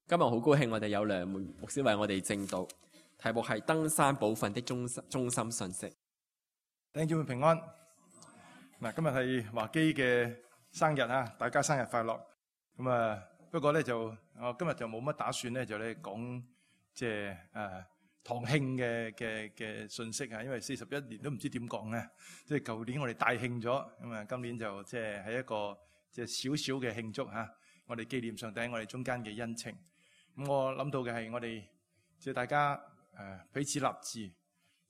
今日好高興，我哋有梁牧師為我哋證道，題目係登山寶訓的中心信息。弟兄姊妹平安。嗱，今日係華基嘅生日啊，大家生日快樂。咁啊，不過咧我今日就冇乜打算咧，就咧講即係堂慶嘅信息啊，因為41年都唔知點講咧。即係舊年我哋大慶咗，咁啊，今年就即係喺一個即係少少嘅慶祝嚇，我哋紀念上帝喺我哋中間嘅恩情。咁我諗到嘅係我哋即係大家彼此立志，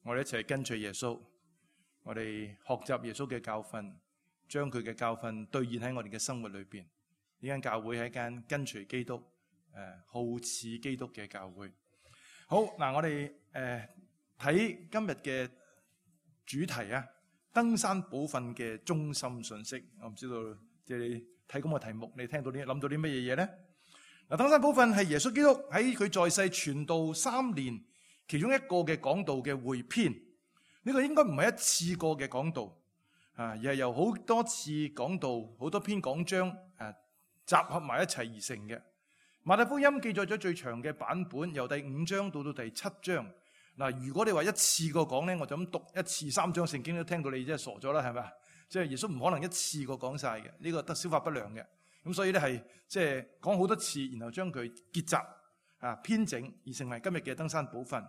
我哋一齊跟隨耶穌，我哋學習耶穌嘅教訓，將佢嘅教訓兌現喺我哋嘅生活裏邊。呢間教會係一間跟隨基督、好似基督嘅教會。好嗱，我哋睇今日嘅主題啊，登山寶訓嘅中心信息。我唔知道即係你睇咁個題目，你聽到啲諗到啲乜嘢嘢咧？嗱，登山寶訓係耶穌基督喺佢在世傳道3年其中一個嘅講道嘅匯編。呢個應該唔係一次過嘅講道而係由好多次講道、好多篇講章集合埋一齊而成嘅。馬太福音記載咗最長嘅版本，由第5章到第7章。嗱，如果你話一次過講咧，我就咁讀一次3章聖經都聽到你真係傻咗啦，係咪？即係耶穌唔可能一次過講晒嘅，呢個得消化不良嘅。咁所以咧係即係講好多次，然後將佢結集編整而成為今日嘅登山寶訓。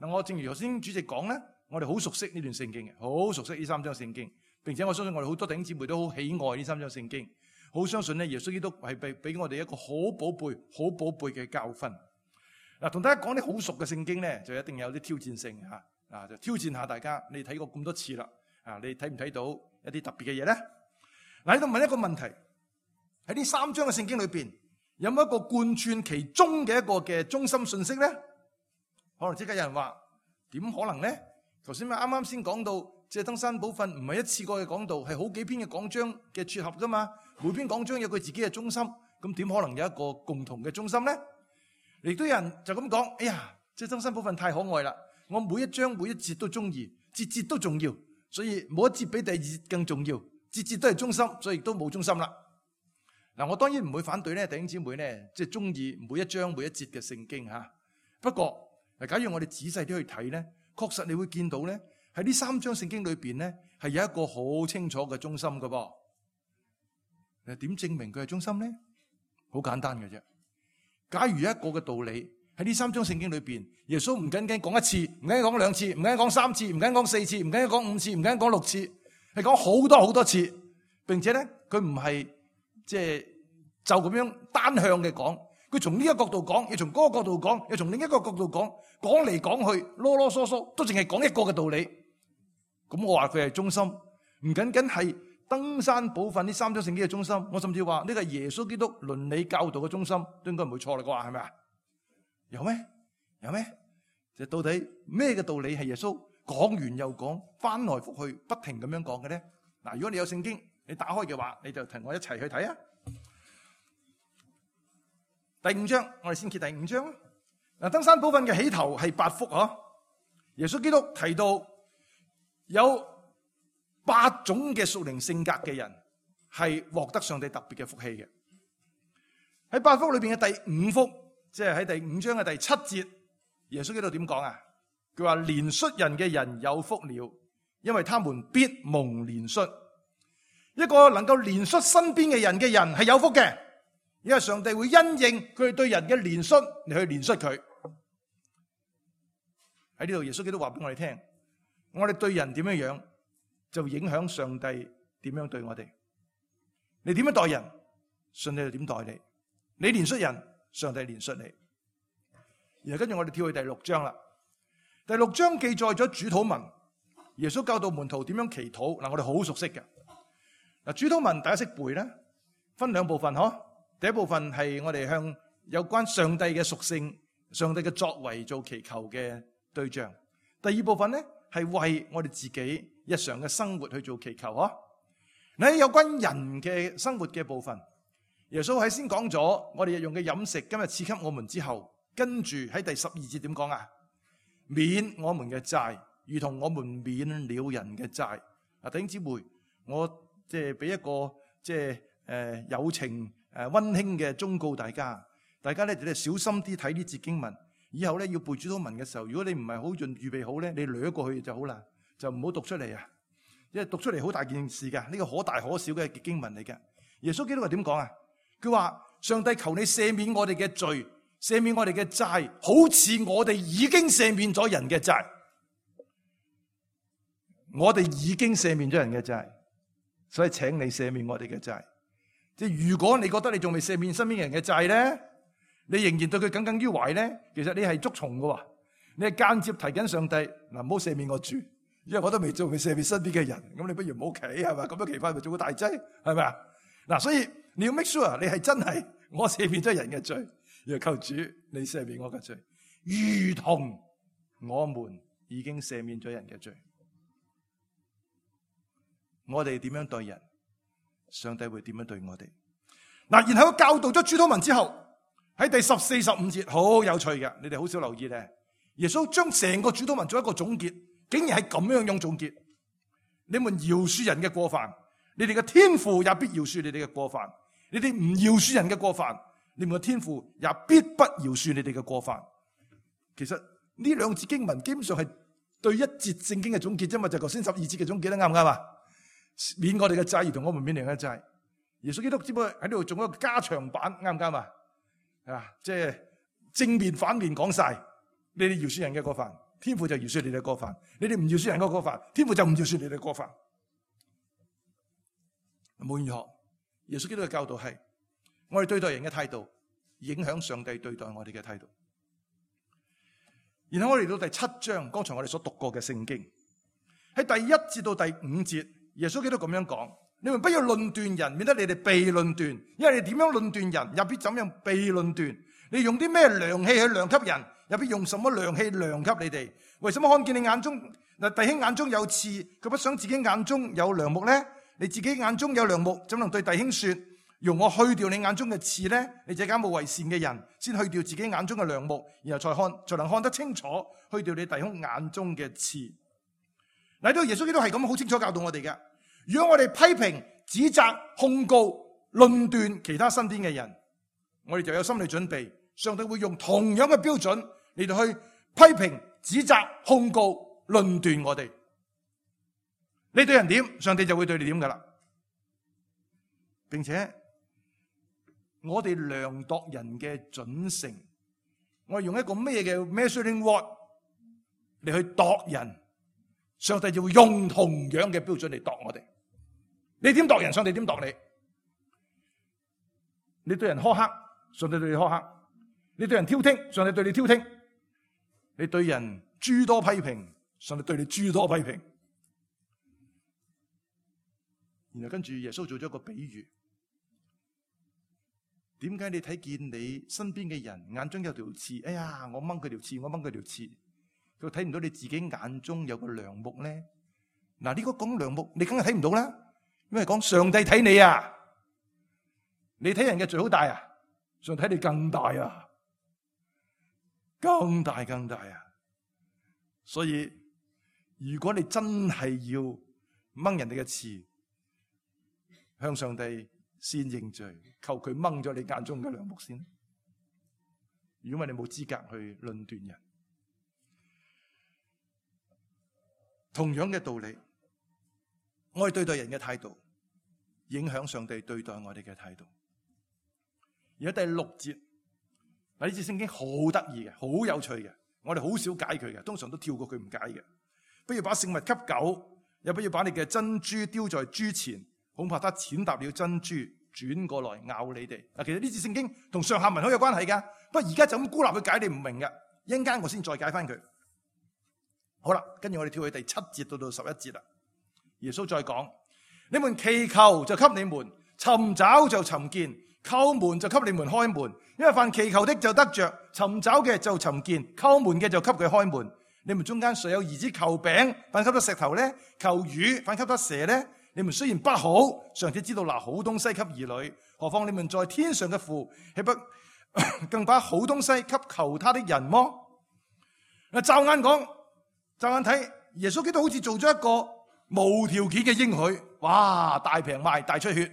嗱，我正如頭先主席講咧，我哋好熟悉呢段聖經嘅，好熟悉呢3章聖經，並且我相信我哋好多弟兄姊妹都好喜愛呢3章聖經，好相信咧耶穌基督係俾我哋一個好寶貝、好寶貝嘅教訓。嗱，同大家講啲好熟嘅聖經咧，就一定有啲挑戰性就挑戰下大家。你睇過咁多次啦，你睇唔睇到一啲特別嘅嘢咧？嗱，喺度問一個問題：喺呢3章嘅聖經裏邊，有冇一個貫穿其中嘅一個嘅中心信息咧？可能即刻有人話：點可能咧？頭先咪啱先講到，即係登山寶訓唔係一次過嘅講道，係好幾篇嘅講章嘅撮合噶嘛。每篇講章有佢自己嘅中心，咁點可能有一個共同嘅中心咧？亦都有人就咁講：哎呀，即係登山寶訓太可愛啦！我每一章每一節都中意，節節都重要，所以冇一節比第二節更重要，節節都係中心，所以亦都冇中心啦。嗱，我當然唔會反對咧，弟兄姊妹咧，即係中意每一章每一節嘅聖經吓。不過，假如我哋仔細啲去睇咧，確實你會見到咧，喺呢3章聖經裏邊咧，係有一個好清楚嘅中心噶噃。點證明佢係中心咧？好簡單嘅啫。假如有一個嘅道理喺呢3章聖經裏邊，耶穌唔僅僅講1次，唔僅僅講2次，唔僅僅講3次，唔僅僅講4次，唔僅僅講5次，唔僅僅講6次，係講好多好多次，並且咧佢唔係即係就咁樣單向嘅講，佢從呢一個角度講，又從嗰個角度講，又從另一個角度講，講嚟講去，囉囉嗦嗦，都淨係講一個嘅道理。咁我話佢係中心，唔僅僅係登山寶訓呢3章聖經嘅中心，我甚至話呢個係耶穌基督倫理教導嘅中心，都應該唔會錯啦啩，係咪啊？有咩？有咩？就到底咩嘅道理係耶穌講完又講，翻來覆去不停咁樣講嘅咧？嗱，如果你有聖經，你打開嘅話，你就同我一齊去睇啊！第5章，我哋先揭第5章。嗱，登山寶訓嘅起頭係8福嗬。耶穌基督提到有8種嘅屬靈性格嘅人係獲得上帝特別嘅福氣嘅。喺8福裏邊嘅第5福，即係喺第5章嘅第7節，耶穌基督點講啊？佢話憐恤人嘅人有福了，因為他們必蒙憐恤。一個能夠憐恤身邊嘅人係有福嘅，因為上帝會因應佢哋對人嘅憐恤嚟去憐恤佢。喺呢度耶穌基督話俾我哋聽，我哋對人點樣樣，就影響上帝點樣對我哋。你點樣待人，上帝就點待你。你憐恤人，上帝憐恤你。然後跟住我哋跳去第6章啦。第6章記載咗主禱文，耶穌教導門徒點樣祈禱。嗱，我哋好熟悉嘅。嗱，主禱文大家識背咧，分2部分嗬。第一部分係我哋向有關上帝嘅屬性、上帝嘅作為做祈求嘅對象。第2部分咧係為我哋自己日常嘅生活去做祈求嗬。喺有關人嘅生活嘅部分，耶穌喺先講咗我哋日用嘅飲食，今日賜給我們之後，跟住喺第12節點講啊？免我們嘅債，如同我們免了人嘅債。啊，弟兄姊妹，我即係俾一個即係友情溫馨嘅忠告大家。大家咧就小心啲睇呢節經文。以後咧要背主禱文嘅時候，如果你唔係好預備好咧，你掠過去就好啦，就唔好讀出嚟啊！因為讀出嚟好大件事噶，呢個可大可小嘅經文嚟嘅。耶穌基督係點講啊？佢話上帝求你赦免我哋嘅罪，赦免我哋嘅債，好似我哋已經赦免咗人嘅債。我哋已經赦免咗人嘅債，所以請你赦免我哋嘅債。即係如果你覺得你仲未赦免身邊人嘅債咧，你仍然對佢耿耿於懷咧，其實你係捉蟲㗎喎，你係間接提緊上帝嗱，唔好赦免我住，因為我都未赦免身邊嘅人，咁你不如唔好企係嘛，咁樣奇怪咪做個大劑係咪啊？嗱，所以你要 make sure 你係真係我赦免咗人嘅罪，要求主你赦免我嘅罪，如同我們已經赦免咗人嘅罪。我哋點樣對人，上帝會點樣對我哋。嗱，然後教導咗主禱文之後，喺第14、15節好有趣嘅，你哋好少留意咧。耶穌將成個主禱文做一個總結，竟然係咁樣樣總結：你們饒恕人嘅過犯，你哋嘅天父也必饒恕你哋嘅過犯；你哋唔饒恕人嘅過犯，你們嘅天父也必不饒恕你哋嘅過犯。其實呢兩節經文基本上係對一節聖經嘅總結啫嘛，就頭先12節嘅總結啦，啱唔啱啊？免我哋嘅債，如同我們免人嘅債。耶穌基督只不過喺呢度做一個加長版，啱唔啱啊？即係正面反面講晒，你哋饒恕人嘅過犯，天父就饒恕你哋嘅過犯；你哋唔饒恕人嘅過犯，天父就唔饒恕你哋嘅過犯。無論如何，耶穌基督嘅教導係，我哋對待人嘅態度影響上帝對待我哋嘅態度。然後我哋嚟到第7章，剛才我哋所讀過嘅聖經，喺第1節到第5節。耶穌基督咁樣講：你們不要論斷人，免得你哋被論斷。因為你點樣論斷人，也必怎樣被論斷。你用啲咩量器去量給人，也必用什麼量器量給你哋。為什麼看見你眼中弟兄眼中有刺，佢不想自己眼中有梁木呢？你自己眼中有梁木，怎能對弟兄說：容我去掉你眼中嘅刺呢？你這假冒為善嘅人，先去掉自己眼中嘅梁木，然後才能看得清楚，去掉你弟兄眼中嘅刺。嚟到耶穌基督係咁好清楚教導我哋嘅。如果我哋批評、指責、控告、論斷其他身邊嘅人，我哋就有心理準備，上帝會用同樣嘅標準嚟到去批評、指責、控告、論斷我哋。你對人點，上帝就會對你點噶啦。並且我哋量度人嘅準繩，我哋用一個咩嘅 measuring rod 嚟去度人，上帝就會用同樣嘅標準嚟度我哋。你點度人，上帝點度你。你對人苛刻，上帝對你苛刻；你對人挑剔，上帝對你挑剔；你對人諸多批評，上帝對你諸多批評。然後跟住耶穌做咗一個比喻，點解你睇見你身邊嘅人眼中有條刺？哎呀，我掹佢條刺，我掹佢條刺。佢睇唔到你自己眼中有個梁木咧。嗱，呢個講梁木，你梗係睇唔到啦。因為講上帝睇你啊，你睇人嘅罪好大啊，上帝睇你更大啊，更大更大啊。所以如果你真係要掹人哋嘅刺，向上帝先認罪，求佢掹咗你眼中嘅梁木先。如果你冇資格去論斷人，同樣嘅道理。我哋對待人嘅態度，影響上帝對待我哋嘅態度。而喺第6節，呢節聖經好得意嘅，好有趣嘅，我哋好少解佢嘅，通常都跳過佢唔解嘅。不如把聖物給狗，又不要把你嘅珍珠丟在豬前，恐怕它踐踏了珍珠，轉過來咬你哋。嗱，其實呢節聖經同上下文好有關係噶，不過而家就咁孤立去解，你唔明嘅，一陣間我先再解翻佢。好啦，跟住我哋跳去第7節到11節啦。耶穌再講：你們祈求就給你們，尋找就尋見，叩門就給你們開門。因為凡祈求的就得着，尋找嘅就尋見，叩門嘅就給佢開門。你們中間誰有兒子求餅，反給他石頭呢？求魚，反給他蛇呢？你們雖然不好，尚且知道拿好東西給兒女，何況你們在天上嘅父，豈不更把好東西給求他的人麼？嗱，驟眼講，驟眼睇，耶穌基督好似做咗一個無條件嘅應許，哇！大平賣，大出血，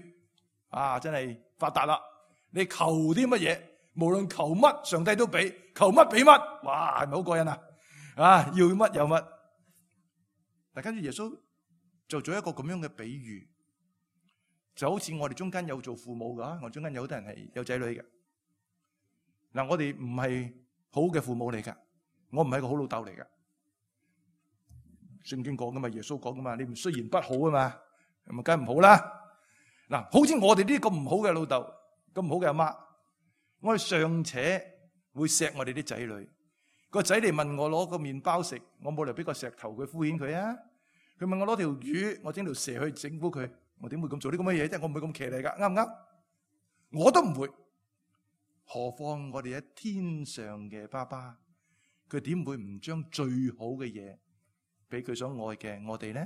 啊！真係發達啦！你求啲乜嘢，無論求乜上帝都俾，求乜俾乜，哇，係咪好過癮啊？要乜有乜。但跟住耶穌就做一個咁樣嘅比喻，就好似我哋中間有做父母噶，我中間有好多人係有仔女嘅。嗱，我哋唔係好嘅父母嚟噶，我唔係個好老豆嚟噶。聖經講噶嘛，耶穌講噶嘛，你們雖然不好啊嘛，咁啊梗係唔好啦。嗱，好似我哋呢啲咁唔好嘅老豆，咁唔好嘅阿媽，我哋尚且會錫我哋啲仔女。個仔嚟問我攞個麵包食，我冇理由俾個石頭佢敷衍佢啊。佢問我攞條魚，我整條蛇去整蠱佢，我點會咁做啲咁嘅嘢啫？我唔會咁騎呢噶，啱唔啱？我都唔會。何況我哋喺天上嘅爸爸，佢點會唔將最好嘅嘢俾佢所愛嘅我哋呢？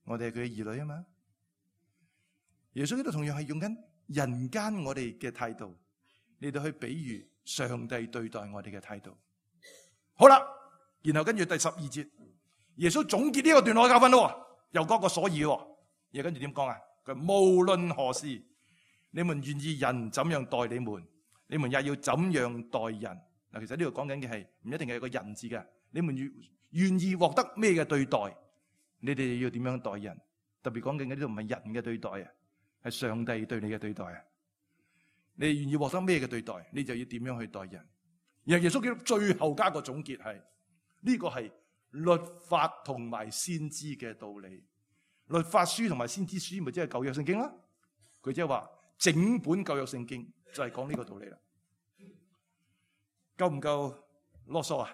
我哋係佢嘅兒女啊嘛。耶穌呢度同樣係用緊人間我哋嘅態度嚟到去比喻上帝對待我哋嘅態度。好啦，然後跟住第12節，耶穌總結呢個段落嘅教訓咯，又講個所以喎。而跟住點講啊？佢無論何事，你們願意人怎樣待你們，你們也要怎樣待人。嗱，其實呢度講緊嘅係唔一定係有個人字嘅。你們願意獲得咩嘅對待，你哋要點樣待人？特別講緊嘅呢度唔係人嘅對待啊，係上帝對你嘅對待啊。你願意獲得咩嘅對待，你就要點樣去待人。然後耶穌基督最後加個總結係呢個係律法同埋先知嘅道理。律法書同埋先知書咪即係舊約聖經啦。佢即係話整本舊約聖經就係講呢個道理啦。夠唔夠囉嗦啊？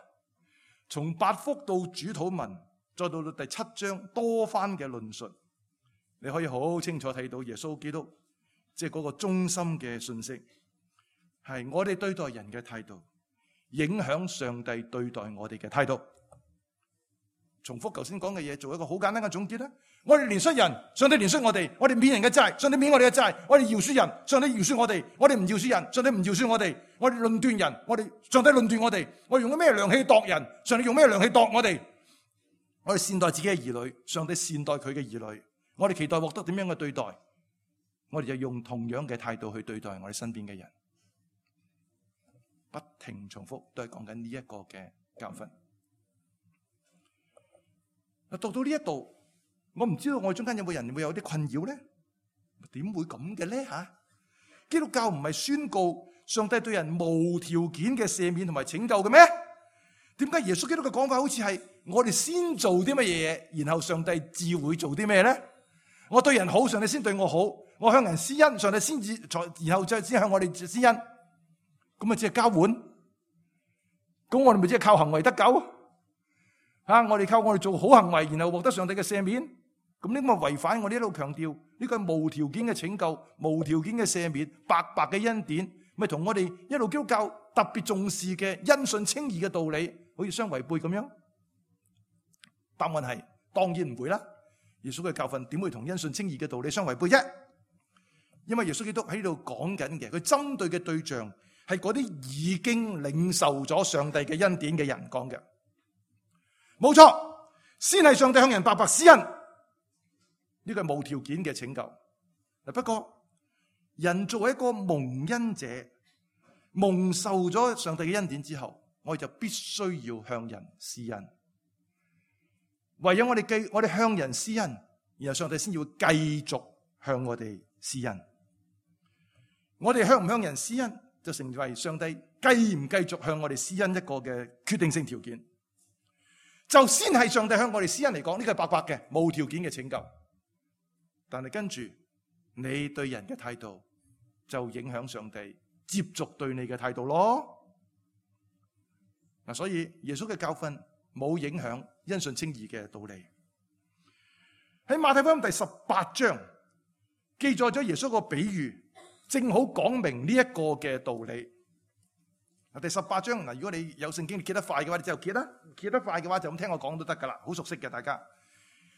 從八福到主禱文，再到第7章多番嘅論述，你可以好清楚睇到耶穌基督即係嗰個中心嘅信息，係我哋對待人嘅態度影響上帝對待我哋嘅態度。重複頭先講嘅嘢，做一個好簡單嘅總結啦。我哋憐恤人，上帝憐恤我哋；我哋免人嘅債，上帝免我哋嘅債；我哋饒恕人，上帝饒恕我哋；我哋唔饒恕人，上帝唔饒恕我哋；我哋論斷人，上帝論斷我哋；我哋用咩量器度人，上帝用咩量器度我哋；我哋善待自己嘅兒女，上帝善待佢嘅兒女；我哋期待獲得點樣嘅對待，我哋就用同樣嘅態度去對待我哋身邊嘅人。不停重複，都係講緊呢一個嘅教訓。讀到呢一度，我唔知道我哋中間有冇人會有啲困擾咧？點會咁嘅咧？基督教唔係宣告上帝對人無條件嘅赦免同埋拯救嘅咩？點解耶穌基督嘅講法好似係我哋先做啲乜嘢，然後上帝至會做啲咩咧？我對人好，上帝先對我好；我向人施恩，上帝先至然後再先向我哋施恩。咁咪即係交換？咁我哋咪即係靠行為得救？我哋靠我哋做好行為，然後獲得上帝嘅赦免，咁呢個違反我哋一路強調呢個係無條件嘅拯救、無條件嘅赦免、白白嘅恩典，咪同我哋一路基督教特別重視嘅因信稱義嘅道理，好似相違背咁樣？答案係當然唔會啦。耶穌嘅教訓點會同因信稱義嘅道理相違背啫？因為耶穌基督喺呢度講緊嘅，佢針對嘅對象係嗰啲已經領受咗上帝嘅恩典嘅人講嘅。冇錯，先係上帝向人白白施恩，呢個係無條件嘅拯救。不過人作為一個蒙恩者，蒙受咗上帝嘅恩典之後，我哋就必須要向人施恩。唯有我哋向人施恩，然後上帝先要繼續向我哋施恩。我哋向唔向人施恩，就成為上帝繼唔繼續向我哋施恩一個嘅決定性條件。就先係上帝向我哋施恩嚟講，呢個係白白嘅無條件嘅拯救。但係跟住你對人嘅態度，就影響上帝接續對你嘅態度咯。嗱，所以耶穌嘅教訓冇影響因信稱義嘅道理。喺馬太福音第18章記載咗耶穌個比喻，正好講明呢一個嘅道理。第18章嗱，如果你有聖經，你揭得快嘅話，你就揭啦；揭得快嘅話，就咁聽我講都得噶啦，好熟悉嘅大家。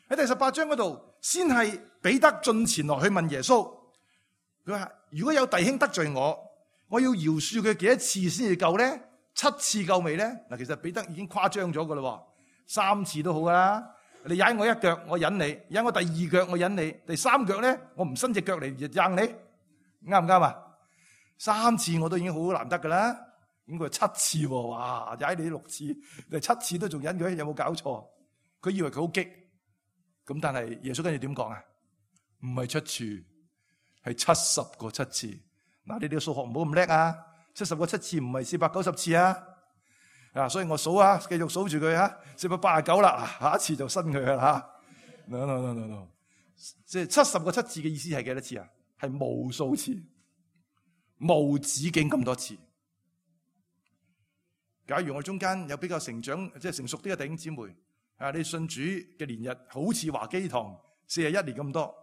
喺第18章嗰度，先係彼得進前來去問耶穌，佢話：如果有弟兄得罪我，我要饒恕佢幾多次先至夠咧？7次夠未咧？嗱，其實彼得已經誇張咗噶啦，3次都好噶啦。你踩我一腳，我忍你；踩我第2腳，我忍你；第3腳咧，我唔伸隻腳嚟硬你，啱唔啱啊？ 3次我都已經好難得噶啦。咁佢7次喎，哇！踩你6次，你7次都仲忍佢，有冇搞錯？佢以為佢好激，咁但係耶穌跟住點講啊？唔係7次，係70個7次。嗱，你哋數學唔好咁叻啊！70個7次唔係490次啊！所以我數啊，繼續數住佢啊，489啦，下一次就新佢啦嚇。No， 即係70個7次嘅意思係幾多次啊？係無數次，無止境咁多次。假如我中間有比較成長即係成熟啲嘅弟兄姊妹，你信主嘅年日好似華基堂41年咁多，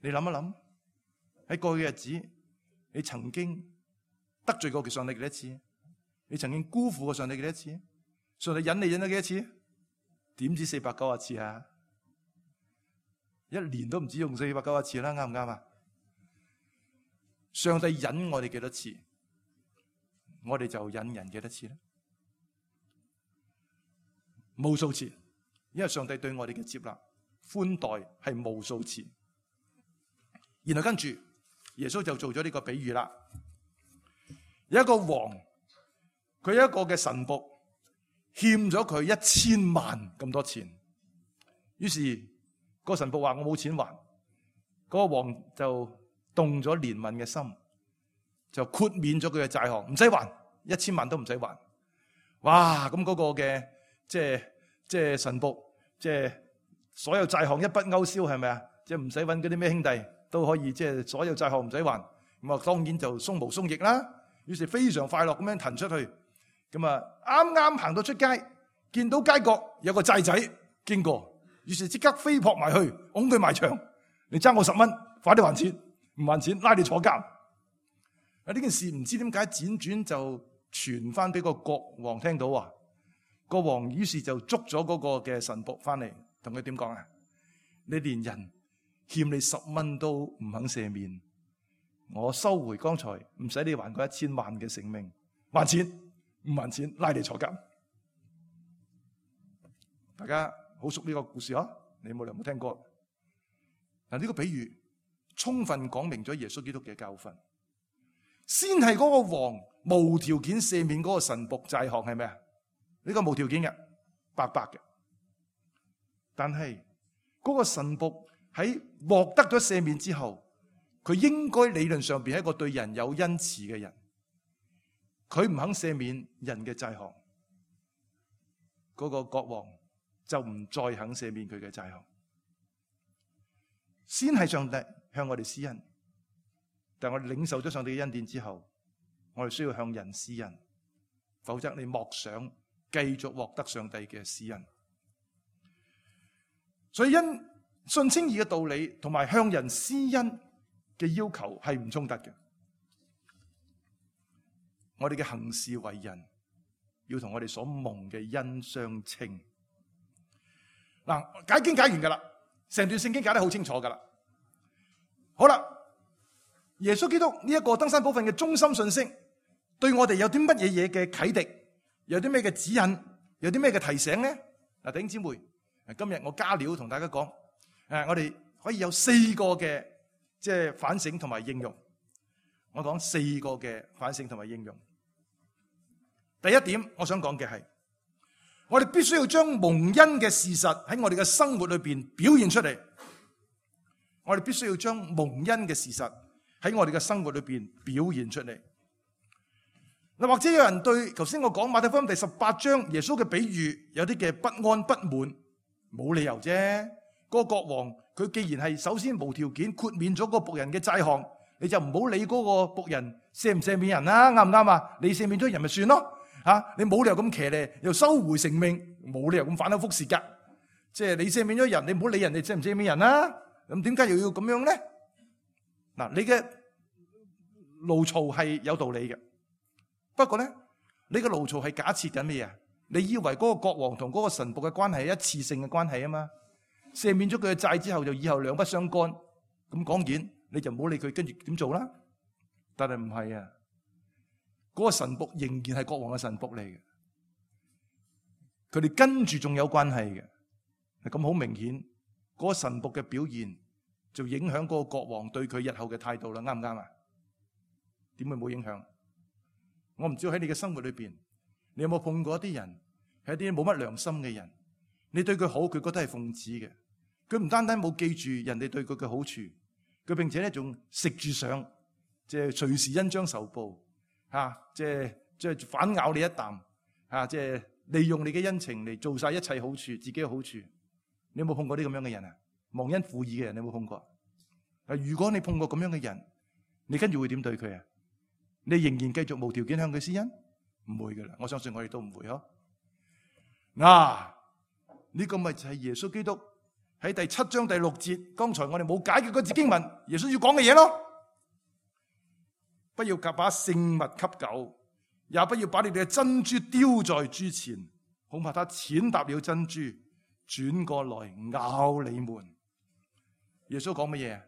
你諗一諗喺過去嘅日子，你曾經得罪過上帝幾多次？你曾經辜負過上帝幾多次？上帝忍你忍咗幾多次？點知490次啊？一年都唔止用490次啦，啱唔啱啊？上帝忍我哋幾多次？我哋就忍人幾多次咧？無數次，因為上帝對我哋嘅接納、寬待係無數次。然後跟住耶穌就做咗呢個比喻啦。有一個王，佢有一個嘅臣僕欠咗佢1000萬咁多錢，於是個臣僕話我冇錢還，嗰個王就動咗憐憫嘅心，就豁免咗佢嘅債項，唔使還，1000萬都唔使還。哇！咁嗰個嘅即係臣僕，即係所有債項一筆勾銷，係咪啊？即係唔使揾嗰啲咩兄弟都可以，即係所有債項唔使還。咁啊，當然就鬆毛鬆翼啦。於是非常快樂咁樣騰出去。咁啊，啱啱行到出街，見到街角有個債仔經過，於是即刻飛撲埋去，拱佢埋牆。你爭我10蚊，快啲還錢，唔還錢拉你坐監。啊！呢件事唔知點解輾轉就傳翻俾個國王聽到啊！個王於是就捉咗嗰個嘅臣僕翻嚟，同佢點講啊？你連人欠你10蚊都唔肯赦免，我收回剛才唔使你還嗰1000萬嘅性命，還錢唔還錢拉你坐監。大家好熟呢個故事啊？你冇聽過？嗱，呢個比喻充分講明咗耶穌基督嘅教訓。先係嗰個王無條件赦免嗰個臣僕債項，係咩啊？呢個無條件嘅，白白嘅。但係嗰個臣僕喺獲得咗赦免之後，佢應該理論上邊係一個對人有恩慈嘅人。佢唔肯赦免人嘅債項，嗰個國王就唔再肯赦免佢嘅債項。先係上帝向我哋施恩，但係我哋領受咗上帝嘅恩典之後，我哋需要向人施恩，否則你莫想繼續獲得上帝嘅施恩。所以因信稱義嘅道理同埋向人施恩嘅要求係唔衝突嘅。我哋嘅行事為人要同我哋所蒙嘅恩相稱。嗱，解經解完噶啦，成段聖經解得好清楚噶啦。好啦，耶穌基督呢一個登山寶訓嘅中心信息，對我哋有啲乜嘢嘅啟迪，有啲咩嘅指引，有啲咩嘅提醒咧？嗱，弟兄姊妹，今日我加料同大家講，我哋可以有4個嘅即係反省同埋應用。我講4個嘅反省同埋應用。第一點，我想講嘅係，我哋必須要將蒙恩嘅事實喺我哋嘅生活裏邊表現出嚟。我哋必須要將蒙恩嘅事實喺我哋嘅生活裏邊表現出嚟。嗱，或者有人對頭先我講馬太福音第18章耶穌嘅比喻有啲嘅不安不滿，冇理由啫。嗰個國王佢既然係首先無條件豁免咗個僕人嘅債項，你就唔好理嗰個僕人赦唔赦免人啦，啱唔啱啊？你赦免咗人咪算咯。你冇理由咁騎呢，又收回成命，冇理由咁反口覆舌噶。即係你赦免咗人，你唔好理人哋赦唔赦免人啦。咁點解又要咁樣咧？嗱，你嘅怒嘈係有道理嘅，不過咧，你嘅怒嘈係假設緊咩啊？你以為嗰個國王同嗰個臣僕嘅關係係一次性嘅關係啊嘛？赦免咗佢嘅債之後，就以後兩不相干。咁講完，你就唔好理佢，跟住點做啦？但係唔係啊？嗰個臣僕仍然係國王嘅臣僕嚟嘅，佢哋跟住仲有關係嘅。咁好明顯，嗰個臣僕嘅表現就影響嗰個國王對佢日後嘅態度啦，啱唔啱啊？點會冇影響？我唔知道喺你嘅生活裏邊，你有冇碰過一啲人係一啲冇乜良心嘅人？你對佢好，佢覺得係奉旨嘅。佢唔單單冇記住人哋對佢嘅好處，佢並且咧仲食住上，即係隨時恩將仇報，即係反咬你一啖，即係利用你嘅恩情嚟做晒一切好處，自己嘅好處。你有冇碰過啲咁樣嘅人啊？忘恩負義嘅人，你有冇碰過？如果你碰過咁樣嘅人，你跟住會點對佢啊？你仍然繼續無條件向佢施恩？唔會噶啦，我相信我哋都唔會嗬。呢個咪就係耶穌基督喺第7章第6節，剛才我哋冇解嘅嗰節經文，耶穌要講嘅嘢咯。不要把聖物給狗，也不要把你哋嘅珍珠丟在豬前，恐怕它踐踏了珍珠，轉過來咬你們。耶穌講乜嘢？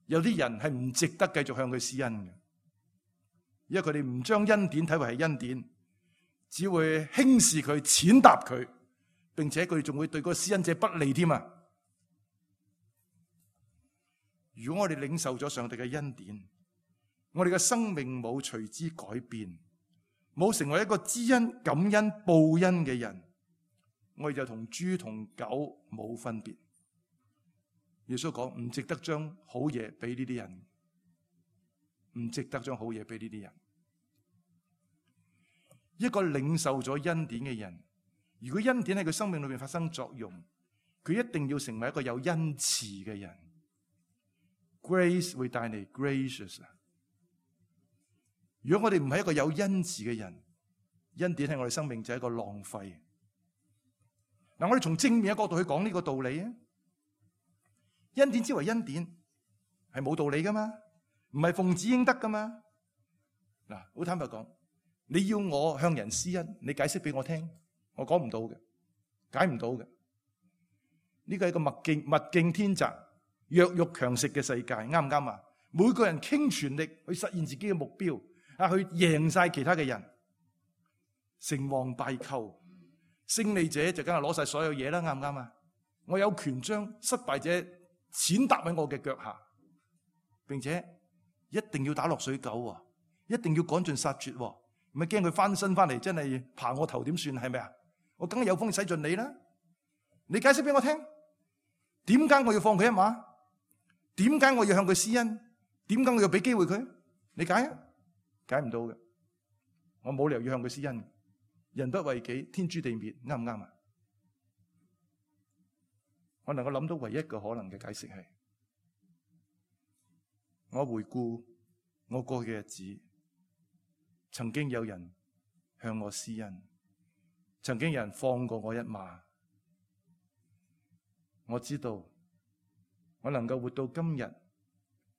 有啲人係唔值得繼續向佢施恩嘅，因為佢哋唔將恩典睇為係恩典，只會輕視佢、踐踏佢，並且佢哋仲會對嗰個施恩者不利添啊！如果我哋領受咗上帝嘅恩典，我哋嘅生命冇隨之改變，冇成為一個知恩、感恩、報恩嘅人，我哋就同豬同狗冇分別。耶穌講唔值得將好嘢俾呢啲人，唔值得將好嘢俾呢啲人。一個領受咗恩典嘅人，如果恩典喺佢生命裏面發生作用，佢一定要成為一個有恩慈嘅人。Grace 會帶嚟 gracious。如果我哋唔係一個有恩慈嘅人，恩典喺我哋生命就係一個浪費。嗱，我哋從正面嘅角度去講呢個道理啊。恩典之為恩典，係冇道理噶嘛，唔係奉旨應得噶嘛。嗱，好坦白講，你要我向人施恩，你解釋俾我聽，我講唔到嘅，解唔到嘅。呢個係一個物競天擇、弱肉強食嘅世界，啱唔啱啊？每個人傾全力去實現自己嘅目標，去贏晒其他嘅人，成王敗寇，勝利者就梗係攞晒所有嘢啦，啱唔啱啊？我有權將失敗者踐踏喺我嘅腳下，並且一定要打落水狗，一定要趕盡殺絕，唔係驚佢翻身翻嚟真係爬我頭點算？係咪啊？我梗係有風使盡你啦！你解釋俾我聽，點解我要放佢一馬？點解我要向佢施恩？點解我要俾機會佢？你解啊？解唔到嘅，我冇理由要向佢施恩。人不為己，天誅地滅，啱唔啱啊？我能夠諗到唯一個可能嘅解釋係，我回顧我過去嘅日子，曾經有人向我施恩，曾經有人放過我一馬。我知道我能夠活到今日，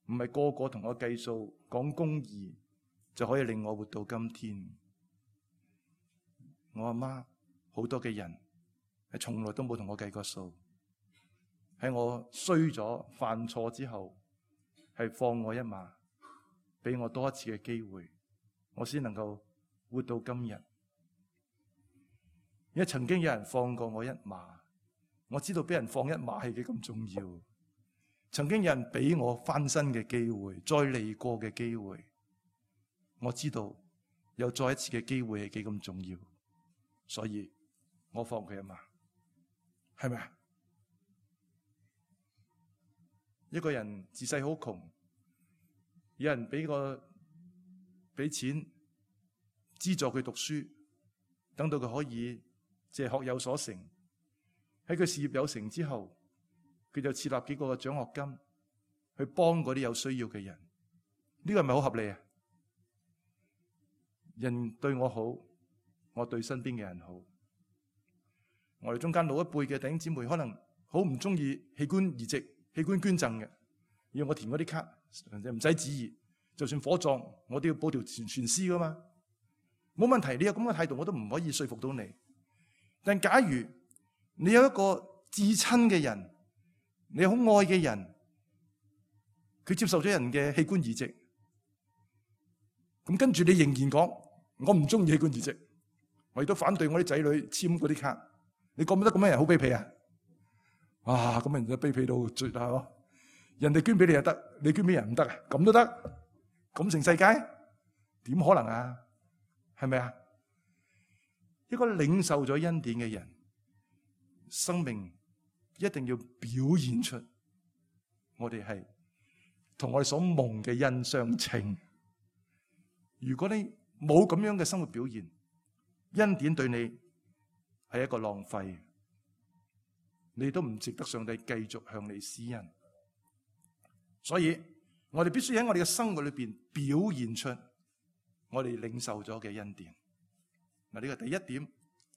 唔係個個同我計數講公義就可以令我活到今天。我阿媽好多嘅人係從來都冇同我計過數。喺我衰咗犯錯之後，係放我一馬，俾我多一次嘅機會，我先能夠活到今日。因為曾經有人放過我一馬，我知道俾人放一馬係幾咁重要。曾經有人俾我翻身嘅機會，再嚟過嘅機會，我知道有再一次嘅機會係幾咁重要，所以我放佢一馬，係咪啊？一個人自細好窮，有人俾錢資助佢讀書，等到佢可以學有所成。喺佢事業有成之後，佢就設立幾個獎學金去幫嗰啲有需要嘅人。呢個係咪好合理啊？人對我好，我對身邊嘅人好。我哋中間老一輩嘅弟兄姊妹可能好唔中意器官移植、器官捐贈嘅，要我填嗰啲卡，唔使旨意，就算火葬我都要報條全屍噶嘛，冇問題。你有咁嘅態度，我都唔可以說服到你。但假如你有一個至親嘅人，你好愛嘅人，佢接受咗人嘅器官移植，咁跟住你仍然講我唔中意器官移植，我亦都反對我啲仔女簽嗰啲卡，你覺唔覺得咁樣人好卑鄙啊？哇！咁人就卑鄙到絕啦，嗬！人哋捐俾你又得，你捐俾人唔得啊？咁都得？咁成世界？點可能啊？係咪啊？一個領受咗恩典嘅人，生命一定要表現出我哋係同我哋所蒙嘅恩相稱。如果你冇咁樣嘅生活表現，恩典對你係一個浪費，你都唔值得上帝繼續向你施恩。所以我哋必須喺我哋嘅生活裏邊表現出我哋領受咗嘅恩典。嗱，呢個第一點，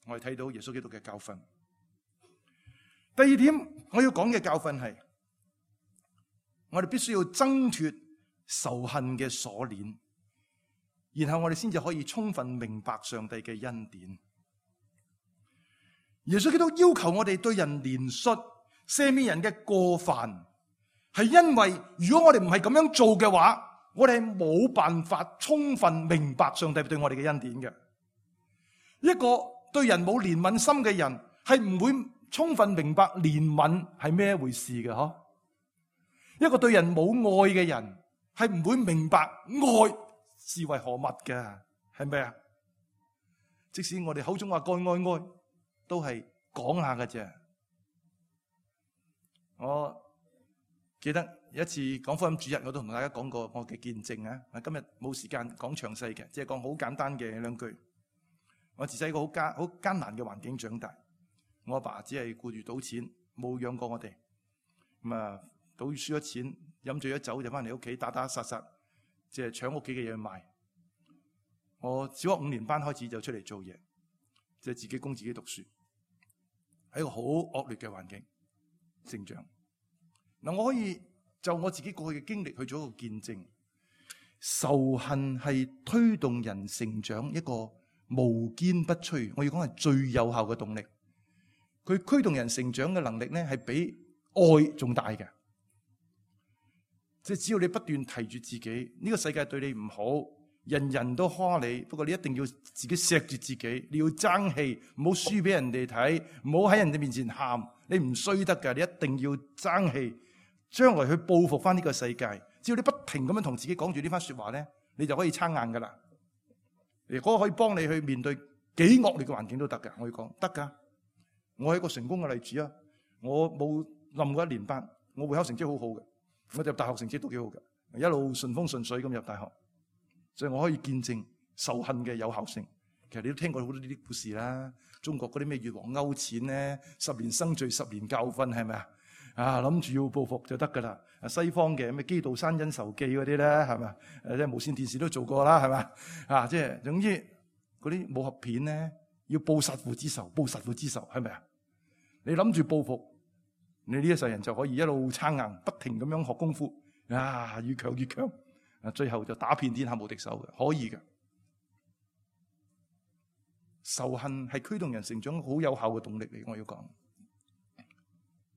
我哋睇到耶穌基督嘅教訓。第二點，我要講嘅教訓係，我哋必須要掙脫仇恨嘅鎖鏈，然後我哋先至可以充分明白上帝嘅恩典。耶穌基督要求我哋對人憐恤，赦免人嘅過犯，係因為如果我哋唔係咁樣做嘅話，我哋係冇辦法充分明白上帝對我哋嘅恩典嘅。一個對人冇憐憫心嘅人，係唔會充分明白憐憫係咩回事嘅。嗬，一個對人冇愛嘅人，係唔會明白愛是為何物嘅，係咪啊？即使我哋口中話愛，都係講下嘅啫。我記得有一次講福音主日，我都同大家講過我嘅見證啊。今日冇時間講詳細嘅，只係講好簡單嘅兩句。我自細個好艱難嘅環境長大，我阿爸只係顧住賭錢，冇養過我哋。咁啊，賭輸咗錢，飲醉咗酒就翻嚟屋企打打殺殺，即係搶屋企嘅嘢賣。我小學5年班開始就出嚟做嘢，即係自己供自己讀書，喺一個好惡劣嘅環境成長。嗱，我可以就我自己過去嘅經歷去做一個見證。仇恨係推動人成長一個無堅不摧，我要講係最有效嘅動力。佢驅動人成長嘅能力咧，係比愛仲大嘅。即係只要你不斷提住自己，呢個世界對你唔好，人人都蝦你，不過你一定要自己錫住自己，你要爭氣，唔好輸俾人哋睇，唔好喺人哋面前喊，你唔衰得㗎，你一定要爭氣，將來去報復翻呢個世界。只要你不停咁樣同自己講住呢番說話咧，你就可以撐硬噶啦。如果可以幫你去面對幾惡劣嘅環境都得㗎，我要講得㗎。我係一個成功嘅例子啊！我冇冧過1年班，我會考成績好好嘅，我入大學成績都幾好嘅，一路順風順水咁入大學，所以我可以見證仇恨嘅有效性。其實你都聽過好多呢啲故事啦，中國嗰啲咩越王勾踐咧，10年生罪10年教訓，係咪啊？啊，諗住要報復就得噶啦！西方嘅咩基道山恩仇記嗰啲咧，係咪？即係無線電視都做過啦，係咪？啊，即係總之嗰啲武俠片咧，要報殺父之仇，報殺父之仇，係咪啊？你諗住報復，你呢一世人就可以一路撐硬，不停咁樣學功夫，啊，越強越強，啊，最後就打遍天下無敵手嘅，可以嘅。仇恨係驅動人成長好有效嘅動力嚟，我要講。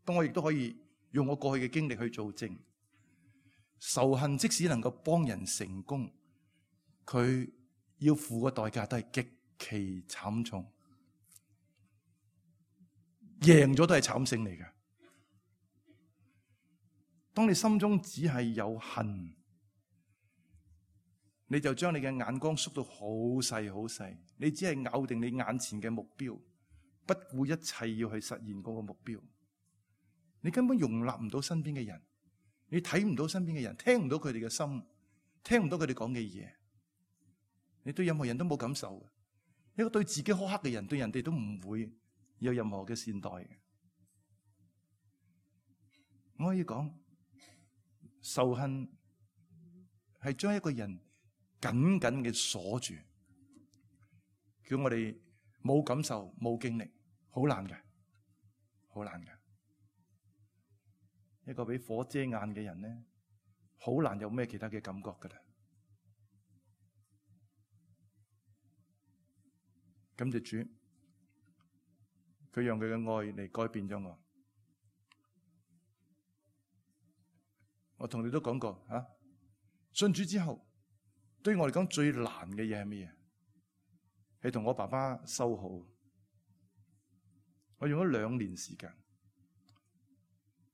當我亦都可以用我過去嘅經歷去做證，仇恨即使能夠幫人成功，佢要付嘅代價都係極其慘重，贏咗都係慘勝嚟嘅。當你心中只係有恨，你就將你嘅眼光縮到好細好細，你只係咬定你眼前嘅目標，不顧一切要去實現嗰個目標。你根本容納唔到身邊嘅人，你睇唔到身邊嘅人，聽唔到佢哋嘅心，聽唔到佢哋講嘅嘢。你對任何人都冇感受嘅，一個對自己苛刻嘅人，對人哋都唔會有任何嘅善待嘅。我可以講，仇恨係將一個人緊緊嘅鎖住，叫我哋冇感受、冇經歷，好難嘅，好難嘅。一個俾火遮眼嘅人咧，好難有咩其他嘅感覺噶啦。感謝主，佢用佢嘅愛嚟改變咗我。我同你都講過吓，信主之後，對於我嚟講最難嘅嘢係咩嘢？係同我爸爸修好。我用咗2年時間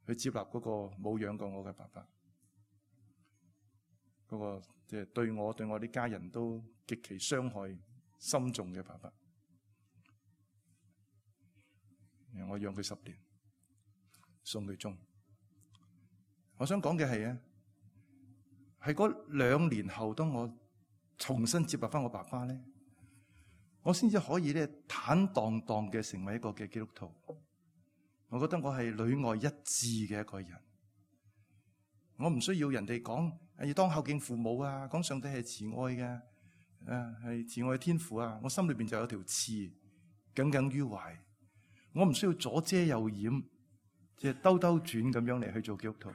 去接納嗰個冇養過我嘅爸爸。嗰個即係對我啲家人都極其傷害深重嘅爸爸。我養佢10年，送佢中。我想講嘅係啊，係嗰2年後，當我重新接納翻我爸爸咧，我先至可以咧坦蕩蕩嘅成為一個嘅基督徒。我覺得我係裏外一致嘅一個人。我唔需要人哋講要當孝敬父母啊，講上帝係慈愛嘅，係慈愛嘅天父啊。我心裏邊就有條刺耿耿於懷。我唔需要左遮右掩，即係兜兜轉咁樣嚟去做基督徒。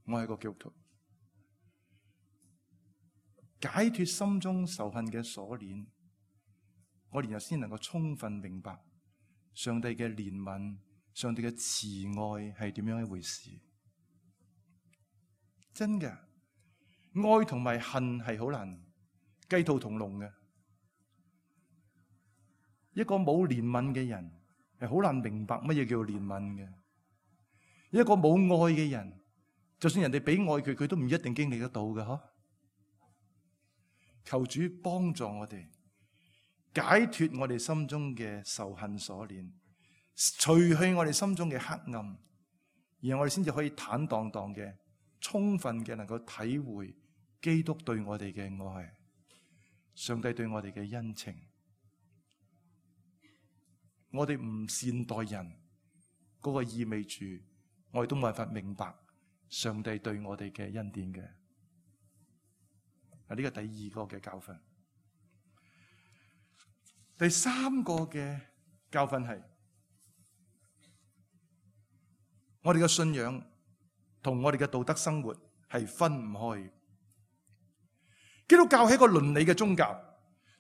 我係個基督徒，解脫心中仇恨嘅鎖鏈，我哋又先能夠充分明白上帝嘅憐憫、上帝嘅慈愛係點樣一回事。真嘅，愛同埋恨係好難雞兔同籠嘅。一個冇憐憫嘅人係好難明白乜嘢叫憐憫嘅。一個冇愛嘅人，就算人哋俾愛佢，佢都唔一定經歷得到嘅。嗬，求主幫助我哋解脫我哋心中嘅仇恨鎖鏈，除去我哋心中嘅黑暗，然後我哋先至可以坦蕩蕩嘅、充分嘅能夠體會基督對我哋嘅愛，上帝對我哋嘅恩情。我哋唔善待人，嗰個意味住我哋都冇辦法明白上帝對我哋嘅恩典嘅。呢個第2個嘅教訓。第3個嘅教訓係，我哋嘅信仰同我哋嘅道德生活係分唔開。基督教係一個倫理嘅宗教，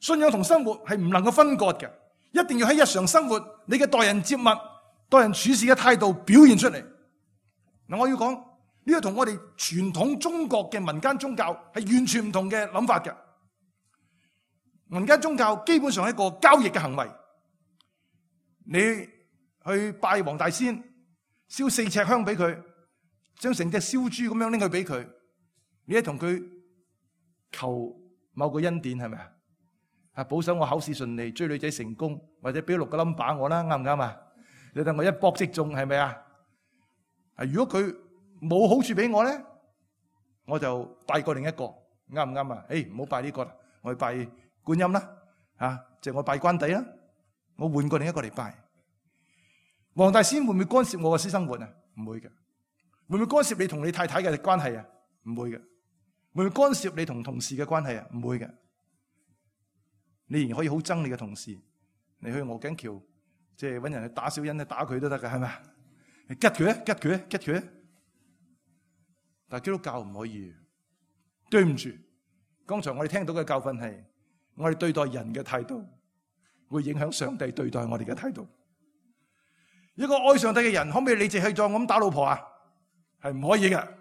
信仰同生活係唔能夠分割嘅。一定要喺日常生活，你嘅待人接物、待人處事嘅態度表現出嚟。嗱，我要講呢個同我哋傳統中國嘅民間宗教係完全唔同嘅諗法嘅。民間宗教基本上係一個交易嘅行為。你去拜黃大仙，燒4尺香俾佢，將成隻燒豬咁樣拎去俾佢，你係同佢求某個恩典，係咪啊？保守我考試順利，追女仔成功，或者俾6個 number 我啦，啱唔啱啊？你等我一搏即中，係咪啊？如果佢冇好處俾我咧，我就拜過另一個，啱唔啱啊？唔好拜呢個啦，我去拜觀音啦，即係我拜關帝啦，我換過另一個嚟拜。黃大仙會唔會干涉我嘅私生活啊？唔會嘅。會唔會干涉你同你太太嘅關係啊？唔會嘅。會唔會干涉你同同事嘅關係啊？唔會嘅。你仍然可以好憎你嘅同事，你去鵝頸橋，即係搵人去打小人，去打佢都得㗎，係咪？你吉佢咧，吉佢咧，吉佢咧。但係基督教唔可以。對唔住，剛才我哋聽到嘅教訓係，我哋對待人嘅態度會影響上帝對待我哋嘅態度。一個愛上帝嘅人，可唔可以理直氣壯咁打老婆啊？係唔可以嘅。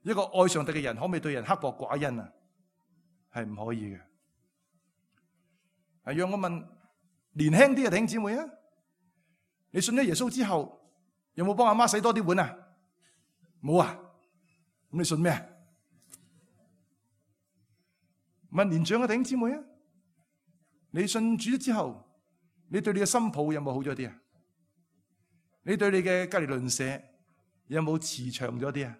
一個愛上帝嘅人，可唔可以對人刻薄寡恩啊？係唔可以嘅。讓我問年輕啲嘅弟兄姊妹啊，你信咗耶穌之後，有冇幫阿媽洗多啲碗啊？冇啊？咁你信咩啊？問年長嘅弟兄姊妹啊，你信主之後，你對你嘅新抱有冇好咗啲啊？你對你嘅隔離鄰舍有冇慈祥咗啲啊？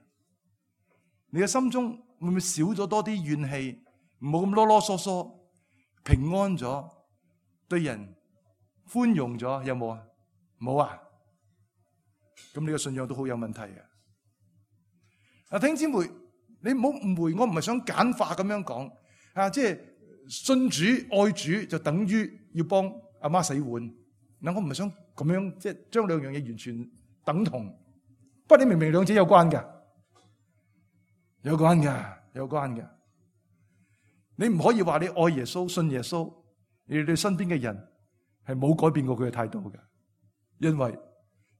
你嘅心中會唔會少咗多啲怨氣？唔好咁囉囉嗦嗦，平安咗，對人寬容咗，有冇啊？冇啊？咁你嘅信仰都好有問題啊！弟兄姊妹，你唔好誤會，我唔係想簡化咁樣講啊，即係信主愛主就等於要幫阿媽洗碗。嗱，我唔係想咁樣即係將兩樣嘢完全等同。不過你明唔明兩者有關㗎？有關㗎，有關㗎。你唔可以話你愛耶穌、信耶穌，你對身邊嘅人係冇改變過佢嘅態度嘅，因為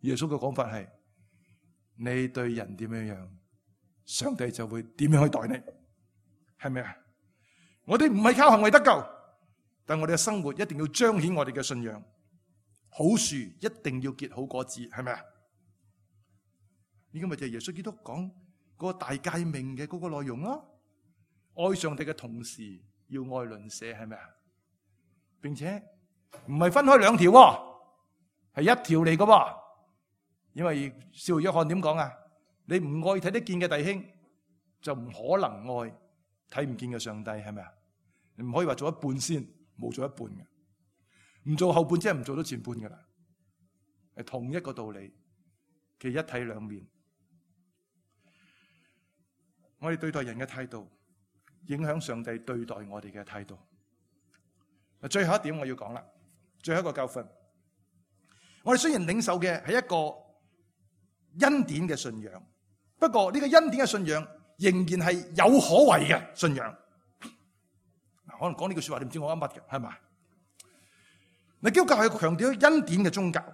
耶穌嘅講法係：你對人點樣樣，上帝就會點樣去待你，係咪啊？我哋唔係靠行為得救，但我哋嘅生活一定要彰顯我哋嘅信仰。好樹一定要結好果子，係咪啊？呢個咪就係耶穌基督講嗰個大誡命嘅嗰個內容咯。愛上帝嘅同時要愛鄰舍，係咪啊？並且唔係分開兩條，係一條嚟嘅。因為使徒約翰點講啊？你唔愛睇得見嘅弟兄，就唔可能愛睇唔見嘅上帝，係咪啊？你唔可以話做一半先，冇做一半嘅，唔做後半即係唔做到前半噶啦。係同一個道理嘅一體兩面。我哋對待人嘅態度，影響上帝對待我哋嘅態度。最後一點我要講啦，最後一個教訓。我哋雖然領受嘅係一個恩典嘅信仰，不過呢個恩典嘅信仰仍然係有可為嘅信仰。可能講呢句說話，你唔知我啱乜嘅，係咪？嗱，基督教係強調恩典嘅宗教。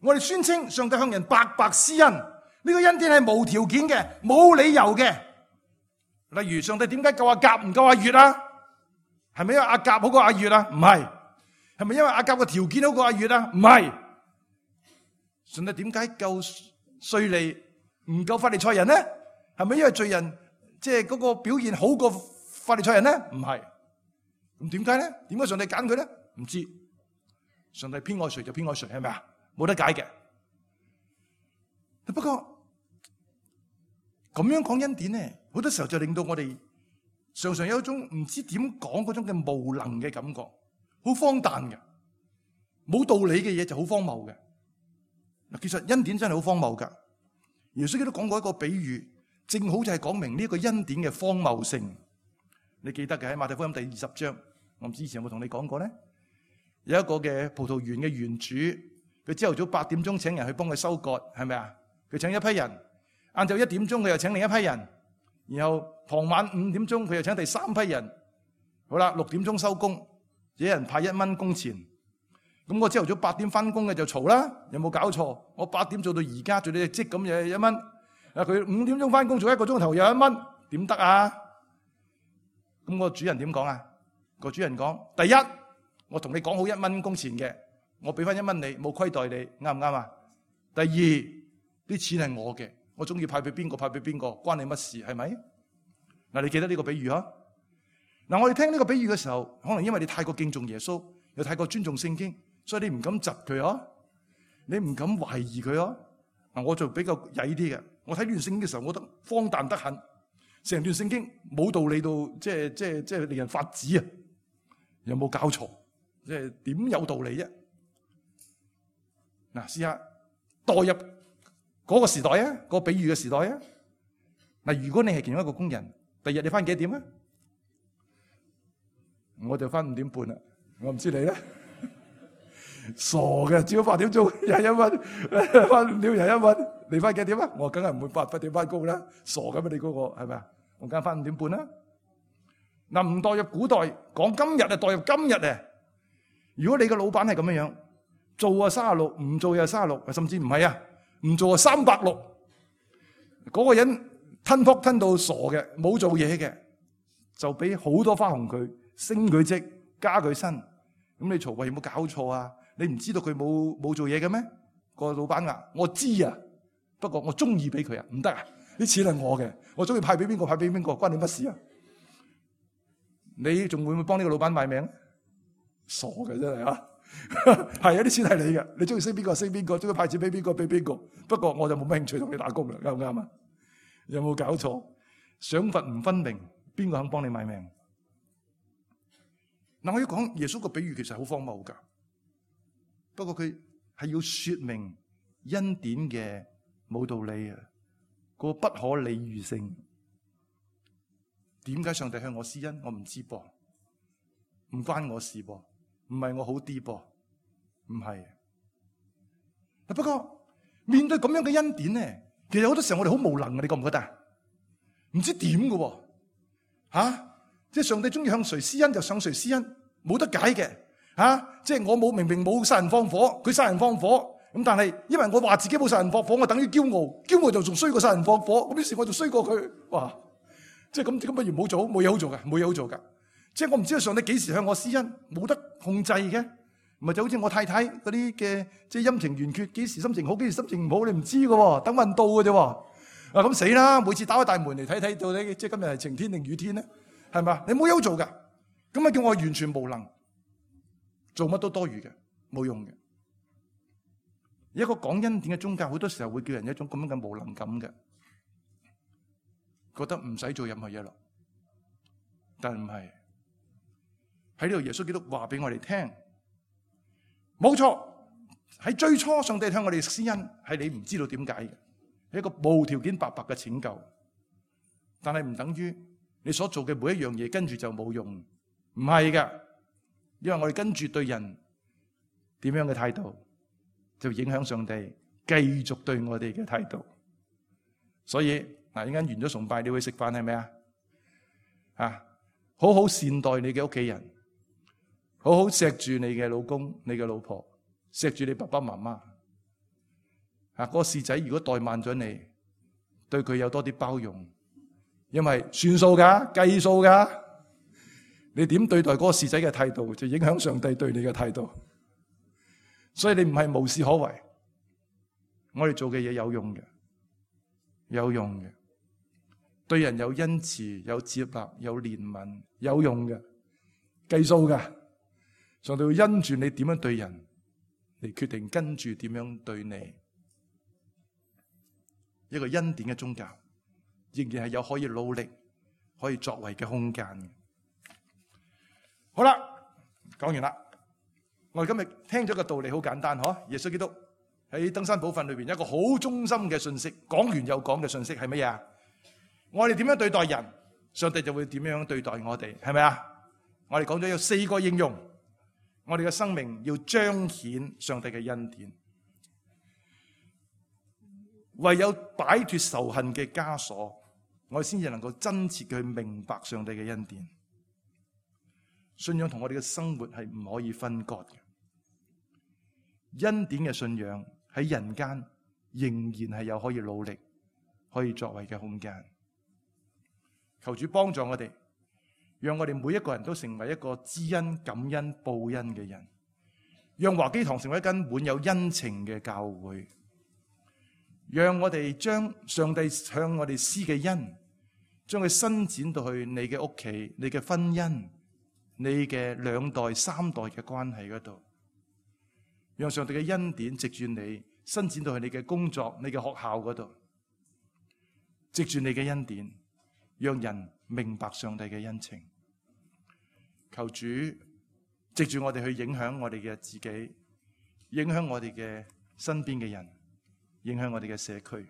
我哋宣稱上帝向人白白施恩，呢個恩典係無條件嘅，冇理由嘅。例如上帝點解救阿甲唔救阿乙啊？係咪因為阿甲好過阿乙啊？唔係。係咪因為阿甲嘅條件好過阿乙啊？唔係。上帝點解救稅吏唔救法利賽人呢？係咪因為罪人即係嗰個表現好過法利賽人呢？唔係。咁點解呢？點解上帝揀佢呢？唔知。上帝偏愛誰就偏愛誰，係咪啊？冇得解嘅。不過咁樣講恩典呢，好多時候就令到我哋常常有一種唔知點講嗰種嘅無能嘅感覺，好荒誕嘅，冇道理嘅嘢就好荒謬嘅。嗱，其實恩典真係好荒謬噶。耶穌基督講過一個比喻，正好就係講明呢個恩典嘅荒謬性。你記得嘅喺馬太福音第20章，我唔知以前有冇同你講過咧？有一個嘅葡萄園嘅園主，佢朝頭早8點鐘請人去幫佢收割，係咪啊？佢請一批人，晏晝1點鐘佢又請另一批人，然後傍晚5點鐘佢又請第3批人。好啦，6點鐘收工，一人派1蚊工錢。咁我朝頭早8點翻工嘅就嘈啦，有冇搞錯？我8點做到而家做到隻積咁又1蚊。啊，佢5點鐘翻工做1個鐘頭又1蚊，點得啊？咁個主人點講啊？個主人講：第一，我同你講好1蚊工錢嘅，我俾翻1蚊你，冇虧待你，啱唔啱啊？第二，啲錢係我嘅，我中意派俾邊個派俾邊個，關你乜事？係咪？嗱，你記得呢個比喻啊？嗱，我哋聽呢個比喻嘅時候，可能因為你太過敬重耶穌，又太過尊重聖經，所以你唔敢窒佢啊，你唔敢懷疑佢啊。嗱，我就比較曳啲嘅，我睇呢段聖經嘅時候，我覺得荒誕得很，成段聖經冇道理到，即係令人發指啊！有冇搞錯？即係點有道理啫？嗱，試下代入嗰個時代啊，嗰個比喻嘅時代啊。嗱，如果你係其中一個工人，第日你翻幾點啊？我就翻5點半啦，我唔知你咧。傻嘅，朝8點鐘21蚊，翻5點又1蚊，你翻幾點啊？我梗係唔會8點翻工啦，傻嘅咩？你嗰個係咪啊？我梗係翻5點半啦。嗱，唔代入古代，講今日啊，代入今日啊。如果你個老闆係咁樣樣，做啊36，唔做又36，甚至唔係啊，唔做啊360，嗰個人吞撲吞到傻嘅，冇做嘢嘅，就俾好多花紅佢，升佢職，加佢薪。咁你嘈話有冇搞錯啊？你唔知道佢冇做嘢嘅咩？個老闆話：我知啊，不過我中意俾佢啊，唔得啊！啲錢係我嘅，我中意派俾邊個派俾邊個，關你乜事啊？你仲會唔會幫呢個老闆賣命？傻嘅真係啊！係啊，啲錢係你嘅，你中意升邊個升邊個，中意派錢俾邊個俾邊個。不過我就冇乜興趣同你打工啦，啱唔啱啊？有冇搞錯？賞罰唔分明，邊個肯幫你賣命？嗱，我要講耶穌個比喻其實好荒謬噶，不過佢係要說明恩典嘅冇道理啊，個不可理喻性。點解上帝向我施恩？我唔知噃，唔關我事噃，唔係我好啲噃，唔係。不過面對咁樣嘅恩典咧，其實好多時候我哋好無能嘅，你覺唔覺得？唔知點嘅吓，即係上帝中意向誰施恩就向誰施恩，冇得解嘅吓。即係我明明冇殺人放火，佢殺人放火，咁但係因為我話自己冇殺人放火，我等於驕傲，驕傲就仲衰過殺人放火，咁於是我就衰過佢，哇！即係咁不如唔好做，冇嘢好做嘅，冇嘢好做噶。即係我唔知道上帝幾時向我施恩，冇得控制嘅。唔係就好似我太太嗰啲嘅，即係陰晴圓缺，幾時心情好，幾時心情唔好，你唔知嘅，等運到嘅啫。咁死啦！每次打開大門嚟睇到底，即係今日係晴天定雨天咧？係嘛？你冇嘢好做㗎，咁咪叫我完全無能，做乜都多餘嘅，冇用嘅。一個講恩典嘅宗教，好多時候會叫人一種咁樣嘅無能感嘅，覺得唔使做任何嘢咯。但唔係，喺呢度耶穌基督話俾我哋聽，冇錯，喺最初上帝向我哋施恩，係你唔知道點解嘅，係一個無條件白白嘅拯救。但係唔等於你所做嘅每一樣嘢跟住就冇用，唔係㗎，因為我哋跟住對人點樣嘅態度，就影響上帝繼續對我哋嘅態度。所以嗱，一陣間完咗崇拜，你會食飯係咪啊？好好善待你嘅屋企人，好好錫住你嘅老公、你嘅老婆，錫住你爸爸媽媽。嗰個侍仔如果怠慢咗你，對佢有多啲包容，因為算數㗎，計數㗎。你點對待嗰個侍仔嘅態度，就影響上帝對你嘅態度。所以你唔係無事可為，我哋做嘅嘢有用嘅，有用嘅。對人有恩慈、有接納、有憐憫，有用嘅，計數㗎。上帝會因住你點樣對人嚟決定跟住點樣對你。一個恩典嘅宗教，仍然係有可以努力、可以作為嘅空間嘅。好啦，講完啦。我哋今日聽咗個道理好簡單，嗬？耶穌基督喺登山寶訓裏邊一個好中心嘅信息，講完又講嘅信息係乜嘢啊？我哋點樣對待人，上帝就會點樣對待我哋，係咪啊？我哋講咗有4個應用，我哋嘅生命要彰顯上帝嘅恩典，唯有擺脫仇恨嘅枷鎖，我哋先至能夠真切去明白上帝嘅恩典。信仰同我哋嘅生活係唔可以分割嘅。恩典嘅信仰喺人間仍然係有可以努力、可以作為嘅空間。求主幫助我哋，讓我哋每一個人都成為一個知恩、感恩、報恩嘅人，讓華基堂成為一間滿有恩情嘅教會，讓我哋將上帝向我哋施嘅恩，將佢伸展到去你嘅屋企、你嘅婚姻、你嘅2代、3代嘅關係嗰度，讓上帝嘅恩典藉住你伸展到去你嘅工作、你嘅學校嗰度，藉住你嘅恩典，讓人明白上帝嘅恩情。求主藉住我哋去影響我哋嘅自己，影響我哋嘅身邊嘅人，影響我哋嘅社區。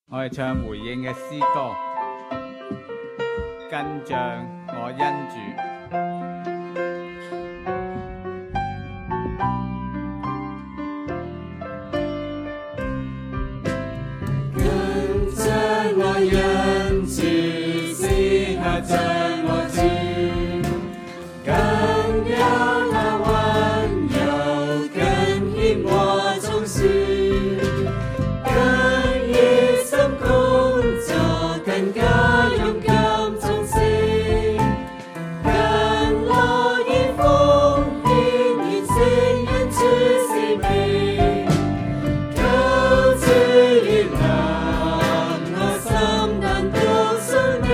我哋唱回應嘅詩歌，跟像我恩主。恩慈私下將我主，更有那溫柔，更顯我忠恕，更熱心工作，更加勇敢忠誠，更樂意奉獻，完成恩主使命，求主悅納我心難獨生命，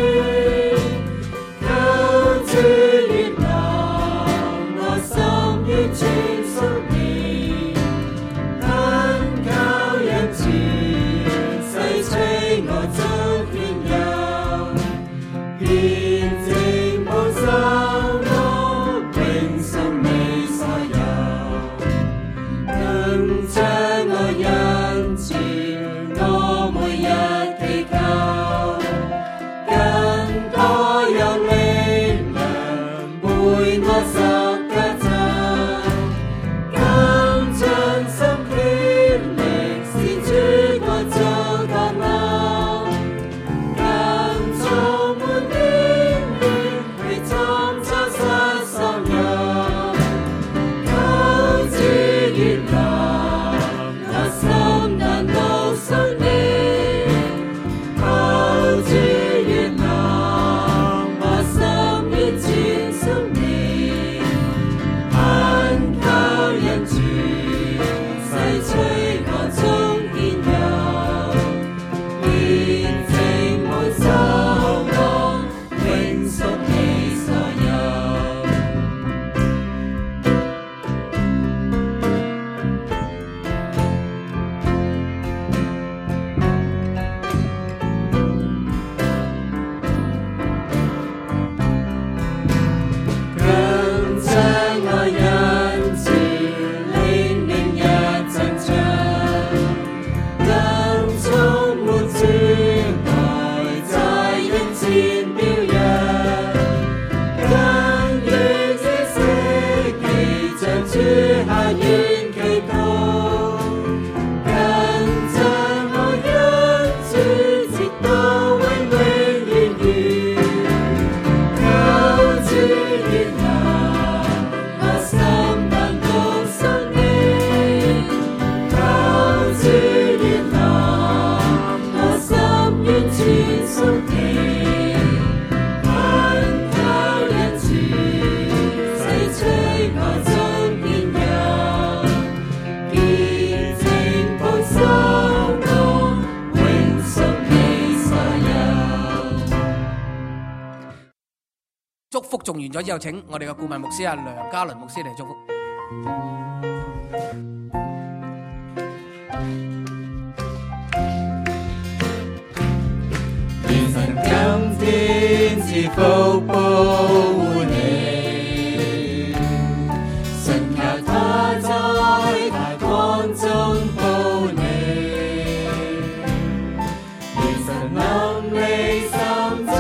誦完咗之後，請我哋嘅顧問牧師梁家麟牧師嚟祝福。願神今天賜福保護你，神求他在大光中保你，願神臨你心中，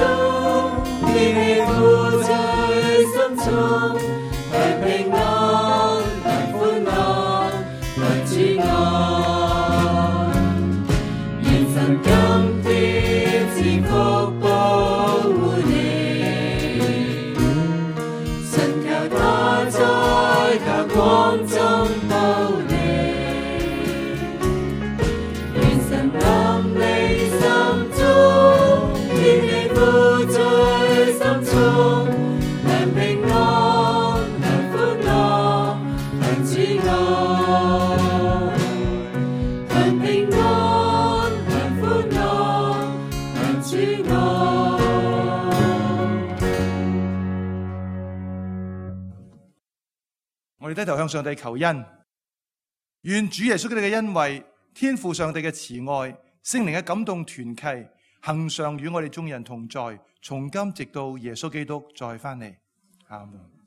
天氣苦在心中，享平安，享歡樂，享主愛。願神今天賜福保護你，神求他在大光中保你，願神臨你心中，天氣苦在心中，享平安，享歡樂，享主愛，享平安，享歡樂，享主愛。我哋低頭向上帝求恩，願主耶穌基督嘅恩惠、天父上帝嘅慈愛、聖靈嘅感動團契，恒常與我哋眾人同在，從今直到耶穌基督再翻嚟。阿門。